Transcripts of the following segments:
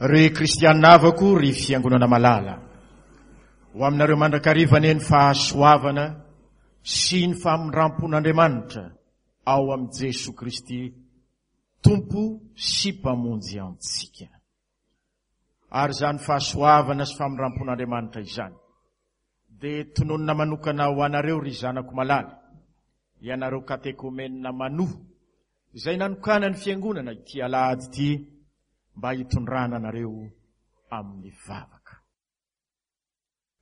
Ry kristianina havako, ry fiangonana malala, ho aminareo mandrakariva anie ny fahasoavana sy ny famindrampon'Andriamanitra ao amin'i Jesoa Kristy Tompo sy Mpamonjy antsika. Ary izany fahasoavana sy famindrampon'Andriamanitra izany dia tononina manokana ho anareo ry zanako malala, ianareo katekomenina manoa, izay nanokanan'ny Fiangonana ity alahady ity mba hitondrana anareo amin'ny vavaka.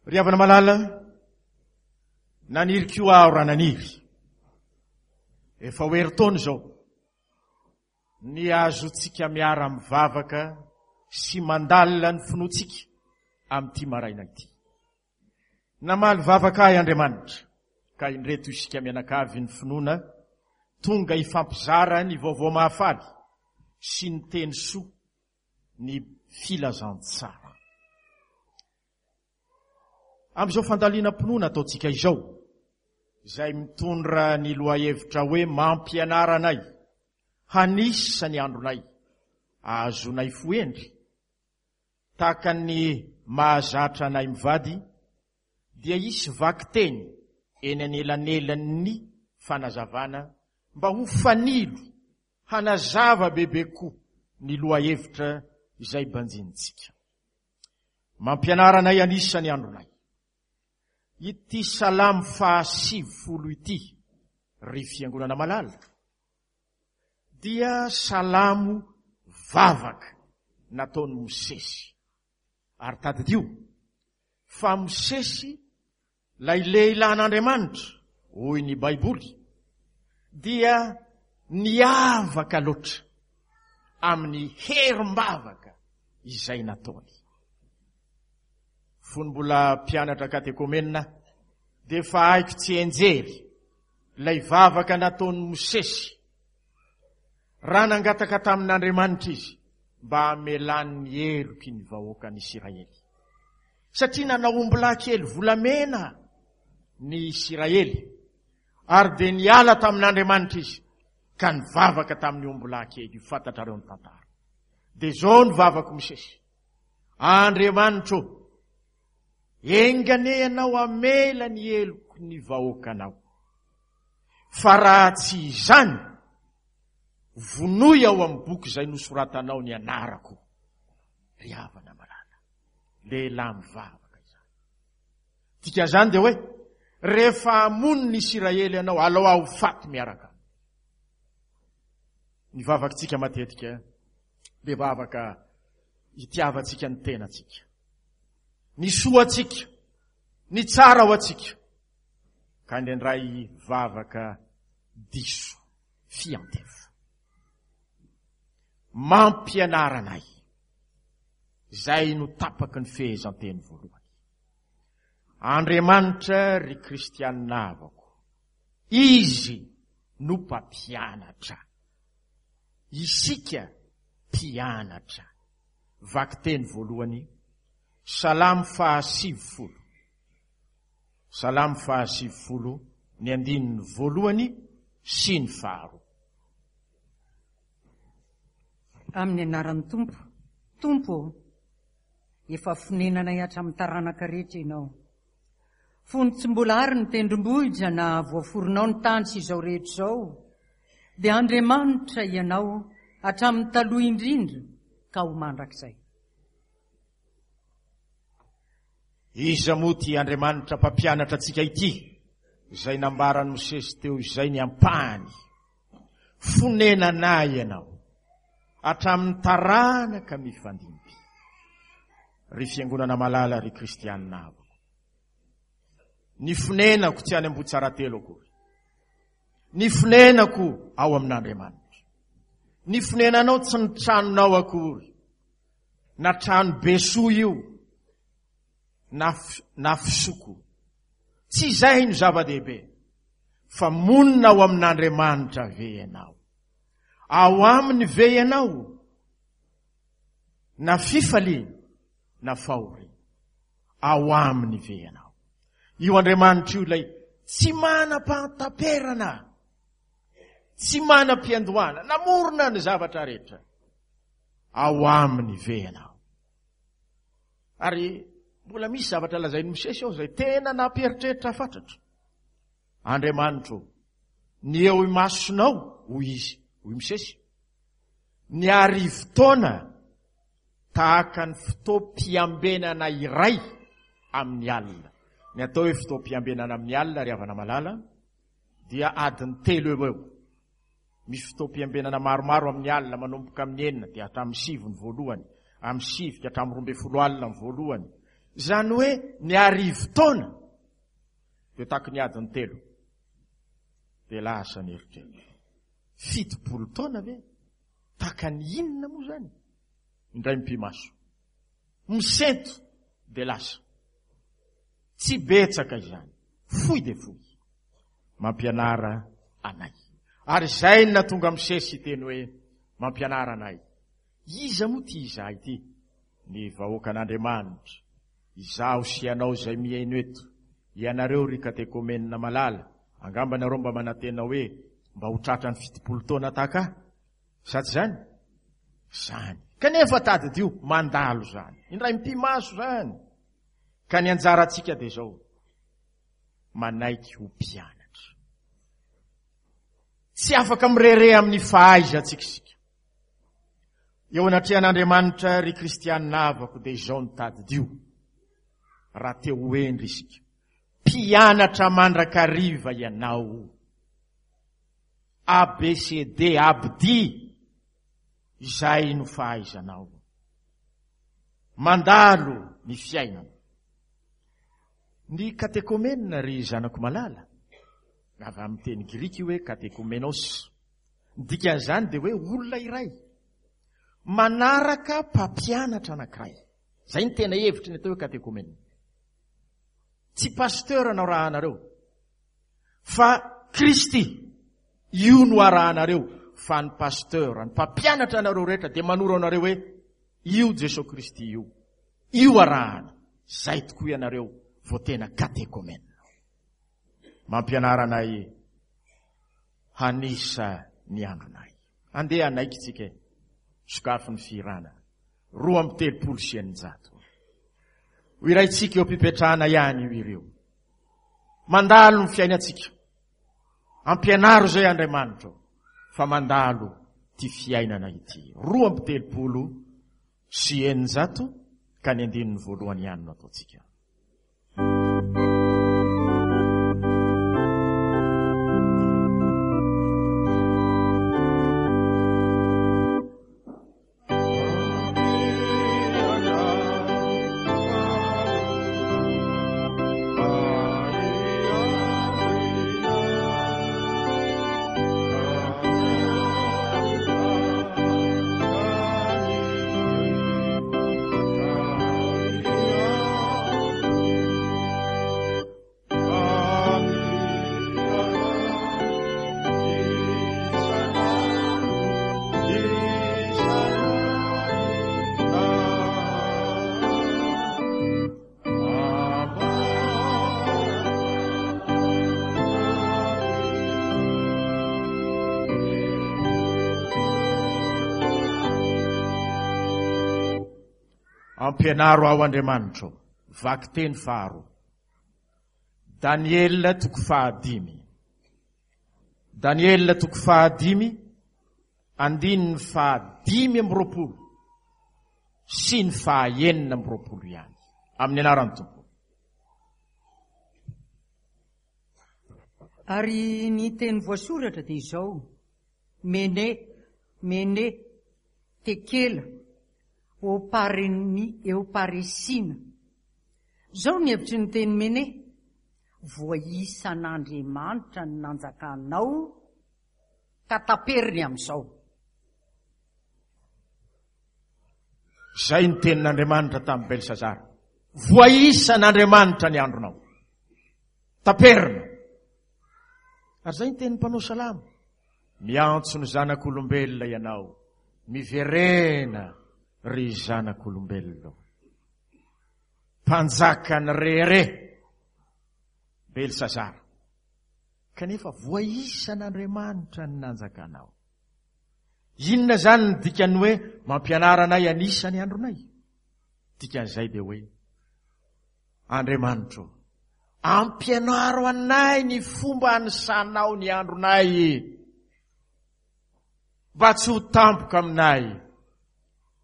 Ry havana malala, naniry koa aho raha naniry. Efa ho herintaona izao, ny azontsika miara-mivavaka sy mandalina ny finoantsika amin'ity maraina ity. Namaly vavaka ahy Andriamanitra, ka indreto isika mianakavy ny finoana tonga hifampizara ny vaovao mahafaly sy ny teny soa ny filazantsara. Amin'izao fandalinam-pinoana ataontsika izao, izay mitondra ny lohahevitra hoe Mampianara anay hanisa ny andronay, ahazoanay fo hendry, tahaka ny mahazatra anay mivady, dia hisy vakiteny eny anelanelan'ny fanazavana mba ho fanilo hanazava bebe koa ny lohahevitra izay banjinintsika. Mampianara anay an'isa ny andronay. Ity salamo faha 90 ity, ry fiangonana malala, dia salamo vavaka nataon'i Mosesy. Ary tadidio fa Mosesy Ilay lehilahin'Andriamanitra, hoy ny Baiboly, dia niavaka loatra amin'ny herim-bavaka izay nataony. Fony mbola mpianatra katekomenina aho, dia efa haiko tsianjery ilay vavaka nataon'i Mosesy raha nangataka tamin'Andriamanitra izy mba hamelany ny heloky ny vahoakan'Isiraely. Satria nanao ombilahy kely volamena ny Isiraely, ary dia niala tamin'Andriamanitra izy, ka nivavaka tamin'ny ombilahy kely io. Fantatrareo ny tantara. Dia izao ny vavako Mosesy, Andriamanitro, enga anie ianao hamela ny heloky ny vahoakanao. Fa raha tsy izany, vonoy ao amin'ny boky izay nosoratanao ny anarako. Ry havana malala, lehilahy mivavaka izany. Dikan'izany dia hoe, rehefa hamono ny Isiraely ianao, alao aho faty miaraka aminy. Ny vavakitsika matetika dia vavaka itiavantsika ny tenantsika. Ny soa antsika, ny tsara ho antsika. Ka indraindray vavaka diso fiantefa. Mampianara anay. Izay no tapaky ny fehezanteny voalohany. Andriamanitra ry kristianina havako, Izy no mpampianatra. Isika mpianatra. Vakiteny voalohany, Salamo faha 90. Salamo faha 90, ny andininy voalohany sy ny faharoa. Amin'ny anaran'ny Tompo. Tompo ô, efa fonenanay hatramin'ny taranaka rehetra Ianao. Fony tsy mbola ary ny tendrombohitra na voaforonao ny tany sy izao rehetra izao, dia Andriamanitra Ianao hatramin'ny taloha indrindra ka ho mandrakizay. Iza moa ity Andriamanitra mpampianatra antsika ity, izay nambaran'i Mosesy teo izay ny ampahany? Fonenana ianao hatramin'ny taranaka mifandimby. Ry fiangonana malala, ry kristianina havako. Ny fonenako tsy any Ambohitsaratelo akory. Ny fonenako ao amin'Andriamanitra. Ny fonenanao tsy ny tranonao akory. Na trano be soa io, na, na fisoko. Tsy izay no zava-dehibe, fa monina ao amin'Andriamanitra ve ianao? Ao aminy ve ianao? Na fifaliana, na fahoriana. Ao aminy ve ianao? Io Andriamanitra io ilay tsy manam-pahataperana, tsy manam-piandohana, namorona ny zavatra rehetra. Ao aminy ve ianao? Ary mbola misy zavatra lazain'i Mosesy ao izay tena nampieritreritra fatratra. Andriamanitro, ny eo imasonao, hoy izy, hoy Mosesy, ny arivotaona tahaka ny fotoam-piambenana iray amin'ny alina. Ny atao hoe fotoam-piambenana amin'ny alina, ry havana malala, dia adiny telo eo eo. Misy fotoam-piambenana maromaro amin'ny alina, manomboka amin'ny enina dia hatramin'ny sivy ny voalohany, amin'ny sivy ka hatramin'ny 12 alina ny voalohany. Izany hoe ny arivotaona dia taky ny adiny telo. Dia lasa ny eritreritra. 70 taona ve? Tahaka ny inona moa izany? Indray mipi-maso. Misento dia lasa. Tsy betsaka izany. Fohy dia fohy. Mampianara anay. Ary izay no nahatonga Mosesy hiteny hoe, Mampianara anay. Iza moa ity izahay ity? Ny vahoakan'Andriamanitra. Izaho sy ianao izay mihaino eto. Ianareo ry katekomenina malala, angamba nareo mba manantena hoe mba ho tratra ny 70 taona tahaka ahy? Sa tsy izany? Izany. Kanefa tadidio, mandalo izany. Indray mipi-maso izany. Ka ny anjarantsika dia izao, manaiky ho mpianatra. Tsy afaka mirehareha amin'ny fahaizantsika isika. Eo anatrehan'Andriamanitra, ry kristianina havako, dia izao no tadidio, raha te ho hendry isika. Mpianatra mandrakariva ianao. ABCD, Abdi, izay no fahaizanao. Mandalo ny fiainana. Ny katekomenina ry zanako malala, avy amin'ny teny grika io hoe katekomenos. Ny dikan'izany dia hoe olona iray manaraka mpampianatra anankiray. Izay ny tena hevitry ny atao hoe katekomenina. Tsy pasteur no arahanareo, fa Kristy. Io no arahanareo, fa ny pasteur, ny mpampianatra anareo rehetra dia manoro anareo hoe io Jesoa Kristy io. Io arahana. Zay tokoa ianareo vao tena katekomena. Mampianara anay hanisa ny andronay. Andeha hanaiky tsika e. Sokafy ny fihirana. 632. Ho iraintsika eo am-pipetrahana ihany io ireo. Mandalo ny fiainantsika. Ampianaro izay Andriamanitra fa mandalo ity fiainana ity. 632 ka ny andininy voalohany ihany no ataontsika. Ampianaro aho Andriamanitro. Vakiteny faharoa. Daniela toko fahadimy. Daniela toko fahadimy, andininy faha-25 sy ny faha-26 ihany. Amin'ny anaran'ny Tompo. Ary ny teny voasoratra dia izao, Mene, Mene, Tekela, Opareni, Eoparesina. Izao ny hevitry ny teny Mene, Voaisan'Andriamanitra ny nanjakanao, ka taperiny amin'izao. Izay ny tenin'Andriamanitra tamin'i Belsazara. Voaisan'Andriamanitra ny andronao. Taperina. Ary izay ny tenin'ny mpanao salamo. Miantso ny zanak'olombelona ianao. Miverena ry zanak'olombelona. Mpanjakan'ny rehareha. Belsazara. Kanefa voaisan'Andriamanitra ny nanjakanao. Inona izany ny dikan'ny hoe mampianara anay hanisa ny andronay? Dikan'izay dia hoe, Andriamanitro, ampianaro anay ny fomba anisanao ny andronay, mba tsy ho tampoka aminay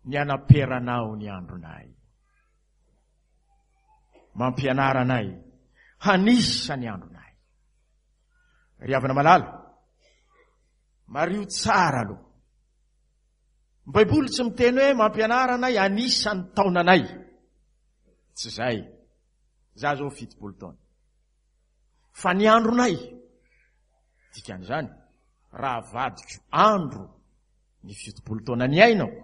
ny anaperanao ny andronay. Mampianara anay hanisa ny andronay. Ry havana malala, mariho tsara aloha. Ny Baiboly tsy miteny hoe mampianara anay hanisa ny taonanay. Tsy izay. Za zao 70 taona. Fa ny andronay, dikan'izany, raha avadiko andro ny 70 taona niainako,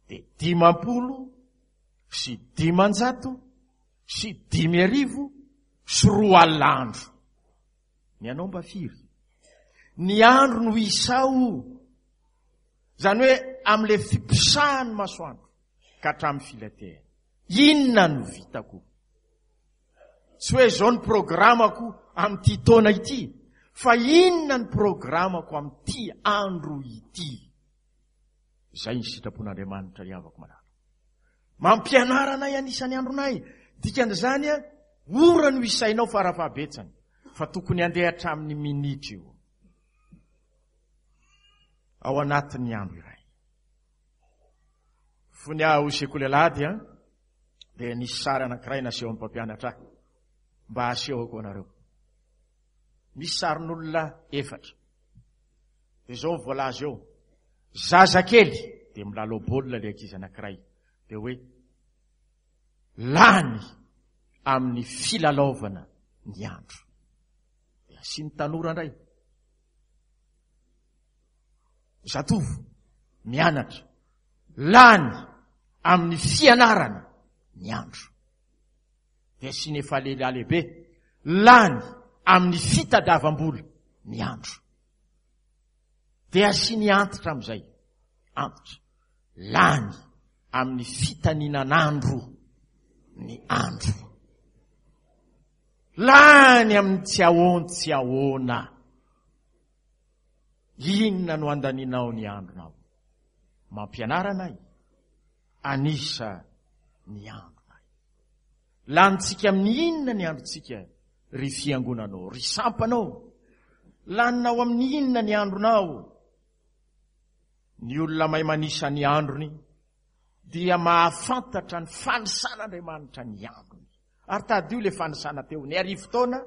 dia 250 200 andro. Ny anao mba firy? Ny andro no isao. Izany hoe amin'ilay fiposahan'ny masoandro ka hatramin'ny filatehany. Inona no vitako? Tsy hoe izao ny programako amin'ity taona ity, fa inona ny programako amin'ity andro ity? Izay ny sitrapon'Andriamanitra ry havako malala. Mampianara anay anisan'ny andronay. Dikan'izany, ora no isainao farafahabetsany, fa tokony handeha hatramin'ny minitra io. Ao anatin'ny andro iray. Fony aho sekoly alahady an, dia nisy sary anankiray nasehon'ny mpampianatra ahy mba hasehoko anareo. Misy sarin'olona efatra. Dia izao ny voalaza eo. Zazakely dia milalao baolina ilay ankizy anankiray. Dia hoe lany amin'ny filalaovana ny andro. Dia asiany tanora indray. Zatovo mianatra lany amin'ny fianarana ny andro. Dia asiany efa lehilahy lehibe lany amin'ny fitadiavam-bola ny andro. Dia asiany antitra amin'izay, antitra, lany amin'ny fitaninan'andro ny andro. Lany amin'ny tsy ahoan-tsy ahoana. Inona no andaninao ny andronao? Mampianara anay anisa ny andronay. Lanintsika amin'ny inona ny androntsika, ry fiangonanao, ry sampanao? Laninao amin'ny inona ny andronao? Ny olona mahay manisa ny androny dia mahafantatra ny fanisan'Andriamanitra ny androny. Ary tadidio ilay fanisana teo, ny arivo taona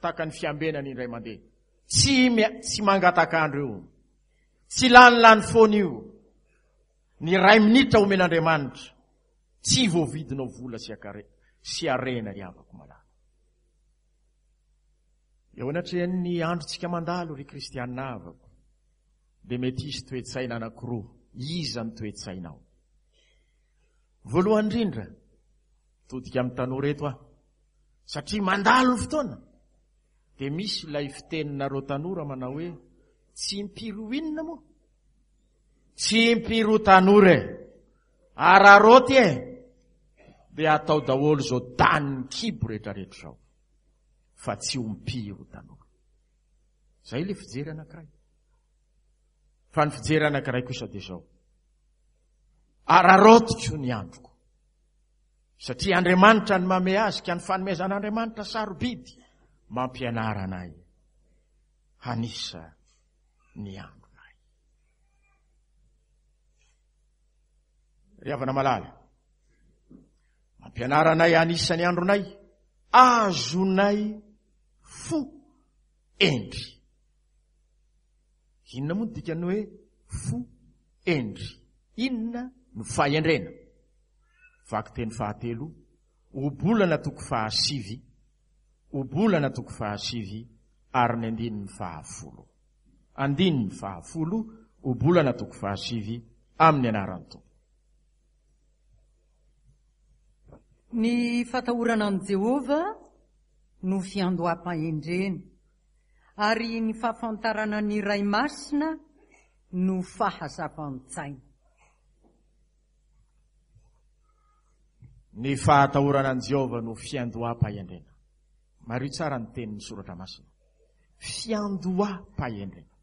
tahaka ny fiambenana indray mandeha. Tsy, tsy mangatak'andro io. Tsy lanilany foana io. Ny iray minitra omen'Andriamanitra, tsy voavidinao vola sy akare, sy harena ry havako malala. Eo anatrehan'ny androntsika mandalo ry kristiana havako, dia mety hisy toe-tsaina anankiroa. Iza ny toe-tsainao? Voalohany indrindra, todika amin'ny tanora eto aho, satria mandalo ny fotoana, dia misy ilay fiteninareo tanora manao hoe, tsy impiry ho inona moa? Tsy impiry ho tanora e! Araraoty e! Dia atao daholo izao danin'ny kibo rehetrarehetra izao, fa tsy ho impiry ho tanora. Izay ilay fijery anankiray. Fa ny fijery anankiray kosa dia izao. Araraotiko ny androko. Satria Andriamanitra no mamehy azy ka ny fanomezan'Andriamanitra sarobidy mampianara anay hanisa ny andronay. Ry havana malala, mampianara anay hanisa ny andronay, azonay fo endry. Inona moa ny dikan'ny hoe fo endry? Inona no fahendrena? Vakiteny fahatelo, Ohabolana toko fahasivy, Ohabolana toko fahasivy ary ny andininy fahafolo. Andininy fahafolo, Ohabolana toko fahasivy, amin'ny anaran'ny Tompo. Ny fatahorana an'i Jehovah no fiandoham-pahendrena. Ary ny fahafantarana ny Ray Masina no fahazavan-tsaina. Ny fahatahorana an'i Jehovah no fiandoham-pahendrena. Mariho tsara ny tenin'ny Soratra Masina. Fiandoham-pahendrena.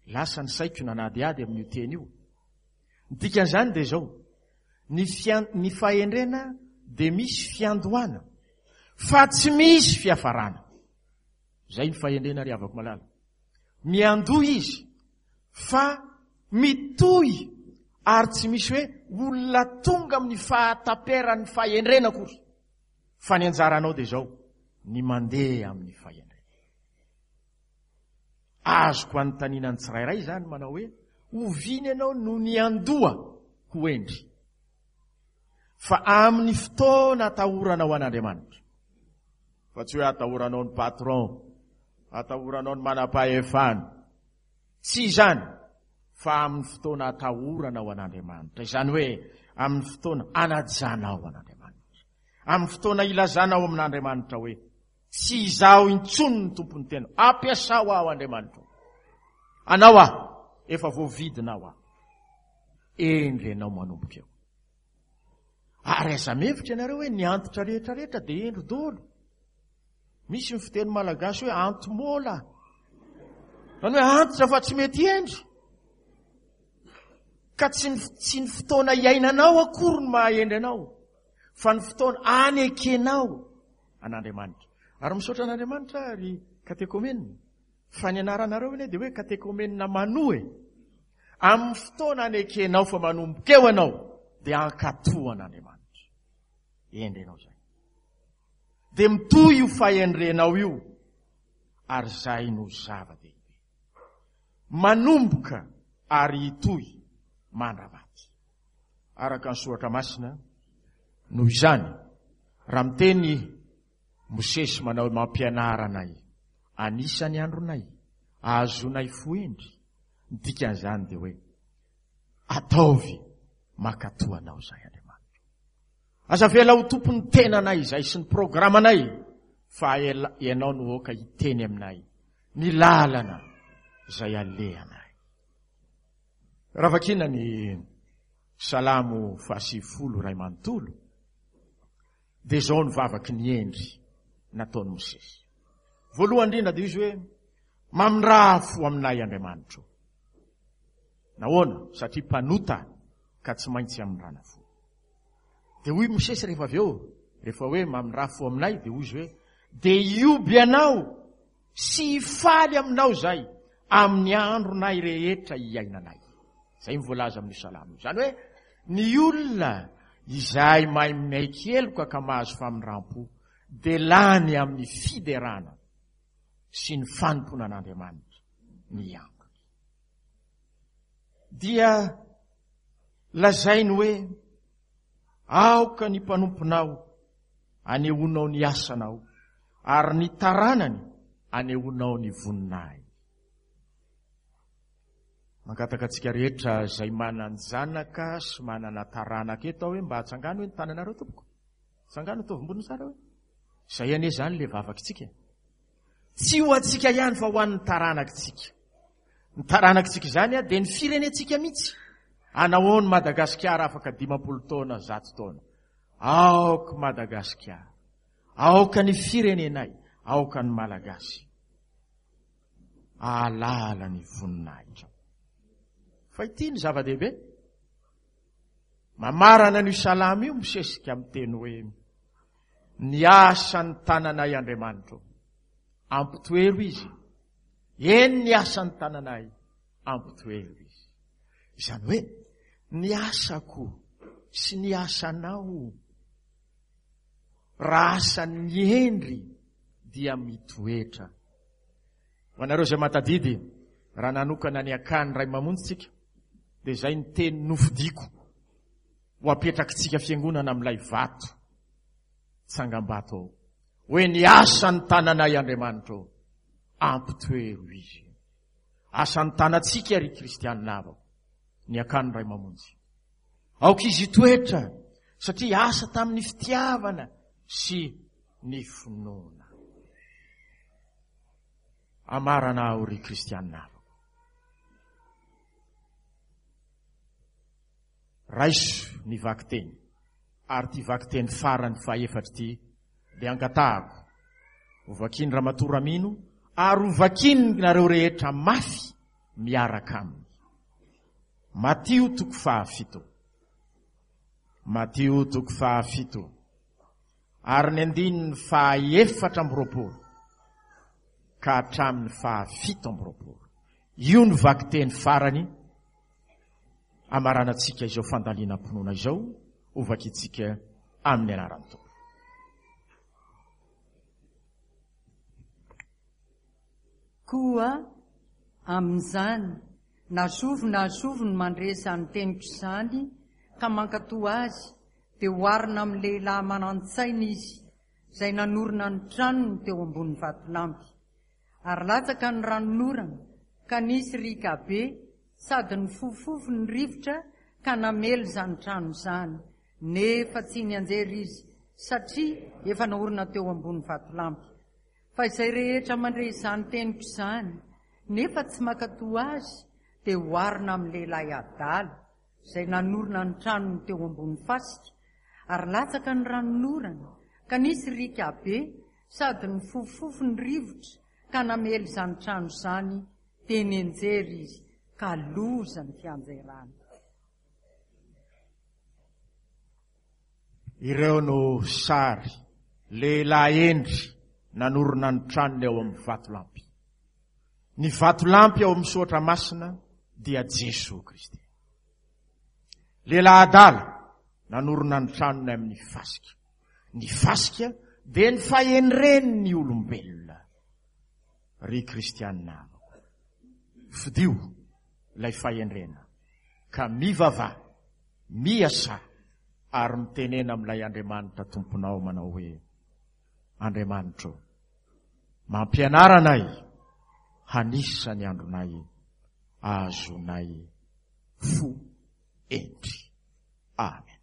Lasa ny saiko nanadihady amin'io teny io. Ny dikan'izany dia izao. Ny fian, ny fahendrena dia misy fiandohana fa tsy misy fiafarana. Izay ny fahendrena ry havako malala. Miandoha izy fa mitohy ary tsy misy hoe olona tonga amin'ny fahataperan'ny fahendrena akory. Fa ny anjaranao dia izao, ny mandeha amin'ny fahendrena. Azoko anontaniana ny tsirairay izany manao hoe, oviana ianao no niandoha ho hendry? Fa amin'ny fotoana atahoranao an'Andriamanitra. Fa tsy hoe atahoranao ny patron, atahoranao ny manam-pahefana. Tsy izany, fa amin'ny fotoana atahoranao an'Andriamanitra. Izany hoe amin'ny fotoana anajanao an'Andriamanitra. Amin'ny fotoana ilazanao amin'Andriamanitra hoe, Tsy izaho intsony ny tompon'ny tena. Ampiasao aho Andriamanitra. Anao aho, efa voavidinao aho. Endre ianao manomboka eo. Ary aza mihevitra ianareo hoe ny antitra rehetra rehetra dia hendry daholo. Misy ny fiteny malagasy hoe anti-mola. Zany hoe antitra fa tsy mety hendry. Ka tsy ny, tsy ny fotoana iainanao akory no maha-hendry anao, fa ny fotoana anekenao an'Andriamanitra. Ary misaotra an'Andriamanitra aho ry katekomenina, fa ny anaranareo anie dia hoe katekomenina manoa e. Amin'ny fotoana anekenao fa manomboka eo ianao, dia hankatò an'Andriamanitra. Hendry ianao izay. Dia mitohy io fahendrenao io, ary izay no zava-dehibe. Manomboka ary hitohy mandra-maty. Araka ny soratra masina, noho izany, raha miteny Mosesy manao hoe mampianara anay, anisan'ny andronay, ahazoanay fo hendry, ny dikan'izany dia hoe ataovy mankatò anao izahay Andriamanitra. Aza avela ho tompon'ny tenanay izahay sy ny programanay fa ianao no aoka hiteny aminay ny lalana izay alehanay. Raha vakiana ny Salamo fahasivifolo iray manontolo, dia izao ny vavaky ny hendry nataon'i Mosesy. Voalohany indrindra dia izy hoe, Mamindraha fo aminay Andriamanitro. Nahoana? Satria mpanota ka tsy maintsy amindrana fo. Dia hoy Mosesy rehefa avy eo, rehefa hoe mamindraha fo aminay, dia hoy izy hoe, dia hioby anao sy hifaly aminao izay amin'ny andronay rehetra hiainanay. Izay ny voalaza amin'io salamo io. Izany hoe ny olona izay mahay miaiky heloka ka mahazo famindram-po dia lany amin'ny fiderana sy ny fanompoana an'Andriamanitra ny androny. Dia lazainy hoe aoka ny mpanomponao anehoanao ny asanao ary ny taranany anehoanao ny voninahiny. Mangataka antsika rehetra izay manan-janaka sy manana taranaka eto aho hoe mba atsangano hoe ny tananareo tompoko. Tsangano ataovy ambony tsara hoe. Izay anie izany le vavakitsika. Tsy ho antsika ihany fa ho an'ny taranakitsika. Ny taranakitsika izany dia ny firenentsika mihitsy. Anahoany Madagasikara afaka 50 taona, 100 taona. Aoka Madagasikara. Aoka ny firenenay, aoka ny Malagasy. Ahalala ny voninahitrao. Fa ity ny zava-dehibe. Mamarana an'io salamo io misesika amin'ny teny hoe ny asan'ny tananay Andriamanitro. Ampitoero izy. Eny ny asan'ny tananay ampitoero izy. Izany hoe ny asako sy ny asanao raha asan'ny hendry dia mitoetra. Ho anareo izay mahatadidy, raha nanokana ny akany Ray Mamonjy tsika, dia izay ny teny nofidiko ho apetrakitsika fiangonana amin'ilay vato tsangambato ao. Hoe ny asan'ny tananay Andriamanitra ô, ampitoero izy. Asan'ny tanantsika ry kristianina havako, ny akany Ray Mamonjy. Aoka izy hitoetra satria asa tamin'ny fitiavana sy ny finoana. Amarana aho ry kristianina havako. Raiso ny vakiteny ary ity vakiteny farany fahefatra ity dia angatahako ho vakian'i Ramatoa Ramino ary ho vakianareo rehetra mafy miaraka aminy. Matio toko fahafito. Matio toko fahafito ary ny andininy faha-24 ka hatramin'ny faha-27. Io no vakiteny farany amaranantsika izao fandalinam-pinoana izao, hovakintsika amin'ny anaran'ny Tompo. Koa amin'izany, na zovy na zovy no mandre izany teniko izany ka mankatò azy, dia oharina amin'ny lehilahy manan-tsaina izy, izay nanorina ny tranony teo ambony vatolampy. Ary latsaka ny ranonorana, ka nisy riaka be, sady nifofofofo ny rivotra ka namely izany trano izany, nefa tsy nianjera izy, satria efa naorina teo ambony vatolampy. Fa izay rehetra mandre izany teniko izany, nefa tsy mankatò azy, dia oharina amin'ny lehilahy adala, izay nanorina ny tranony teo ambony fasika, ary latsaka ny ranonorana, ka nisy riaka be, sady nifofofofo ny rivotra, ka namely izany trano izany, dia nianjera izy, ka loza ny fianjerany. Ireo no sary, lehilahy hendry nanorina ny tranony ao amin'ny vatolampy. Ny vatolampy ao amin'ny Soratra Masina dia Jesoa Kristy. Lehilahy adala nanorina ny tranony amin'ny fasika. Ny fasika dia ny fahendren'ny olombelona. Ry kristianina havako, fidio ilay fahendrena ka mivavaha, miasà ary mitenena amin'ilay Andriamanitra Tomponao manao hoe, Andriamanitro, mampianara anay hanisa ny andronay ahazoanay fo hendry. Amen.